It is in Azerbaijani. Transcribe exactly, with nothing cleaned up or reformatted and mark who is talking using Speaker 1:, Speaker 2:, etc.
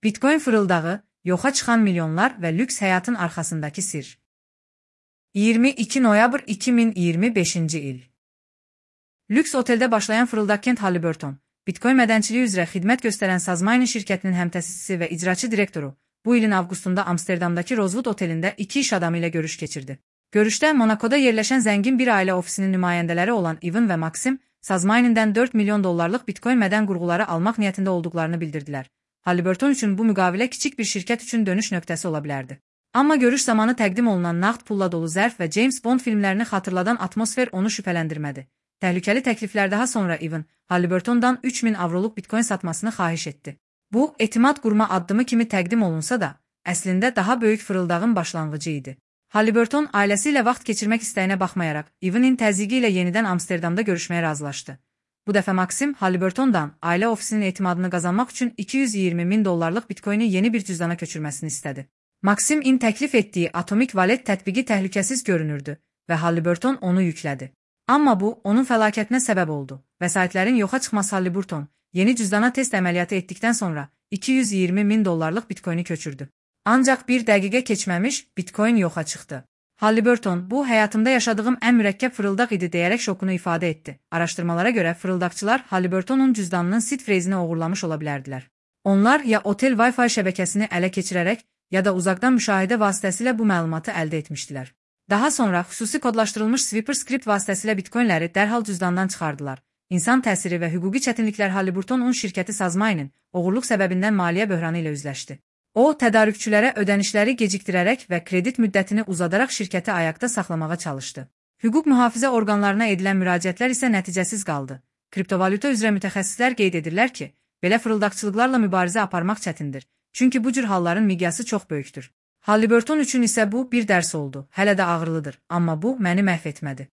Speaker 1: Bitcoin fırıldağı, yoxa çıxan milyonlar və lüks həyatın arxasındakı sir. iyirmi iki noyabr iki min iyirmi beşinci il. Lüks oteldə başlayan fırıldaq Kent Halliburton, Bitcoin mədənçiliyi üzrə xidmət göstərən Sazmining şirkətinin həmtəsisçisi və icraçı direktoru, bu ilin avqustunda Amsterdamdakı Rosewood otelində iki iş adamı ilə görüş keçirdi. Görüşdə Monacoda yerləşən zəngin bir ailə ofisinin nümayəndələri olan Ivan və Maxim, Sazminingdən dörd milyon dollarlıq Bitcoin mədən qurğuları almaq niyyətində olduqlarını bildirdilər. Halliburton üçün bu müqavilə kiçik bir şirkət üçün dönüş nöqtəsi ola bilərdi. Amma görüş zamanı təqdim olunan nağd pulla dolu zərf və James Bond filmlərini xatırladan atmosfer onu şübhələndirmədi. Təhlükəli təkliflər daha sonra Ivan, Halliburtondan üç min avroluq Bitcoin satmasını xahiş etdi. Bu, etimad qurma addımı kimi təqdim olunsa da, əslində daha böyük fırıldağın başlanğıcı idi. Halliburton ailəsi ilə vaxt keçirmək istəyinə baxmayaraq, Ivan'in təzyiqi ilə yenidən Amsterdamda görüşməyə razılaşdı. Bu dəfə Maxim, Halliburtondan ailə ofisinin etimadını qazanmaq üçün iki yüz iyirmi min dollarlıq Bitcoin'i yeni bir cüzdana köçürməsini istədi. Maximin təklif etdiyi Atomic Wallet tətbiqi təhlükəsiz görünürdü və Halliburton onu yüklədi. Amma bu, onun fəlakətinə səbəb oldu. Vəsaitlərin yoxa çıxması Halliburton, yeni cüzdana test əməliyyatı etdikdən sonra iki yüz iyirmi min dollarlıq Bitcoin'i köçürdü. Ancaq bir dəqiqə keçməmiş Bitcoin yoxa çıxdı. Halliburton, bu, həyatımda yaşadığım ən mürəkkəb fırıldaq idi deyərək şokunu ifadə etdi. Araşdırmalara görə fırıldaqçılar Halliburtonun cüzdanının seed phrase-ini oğurlamış ola bilərdilər. Onlar ya otel Wi-Fi şəbəkəsini ələ keçirərək, ya da uzaqdan müşahidə vasitəsilə bu məlumatı əldə etmişdilər. Daha sonra xüsusi kodlaşdırılmış Sweeper script vasitəsilə Bitcoinləri dərhal cüzdandan çıxardılar. İnsan təsiri və hüquqi çətinliklər Halliburtonun şirkəti Sazmining oğurluq səbəbindən maliyyə böhranı ilə üzləşdi. O, tədarükçülərə ödənişləri gecikdirərək və kredit müddətini uzadaraq şirkəti ayaqda saxlamağa çalışdı. Hüquq mühafizə orqanlarına edilən müraciətlər isə nəticəsiz qaldı. Kriptovalyuta üzrə mütəxəssislər qeyd edirlər ki, belə fırıldaqçılıqlarla mübarizə aparmaq çətindir. Çünki bu cür halların miqyası çox böyükdür. Halliburton üçün isə bu bir dərs oldu. Hələ də ağırlıdır, amma bu məni məhv etmədi.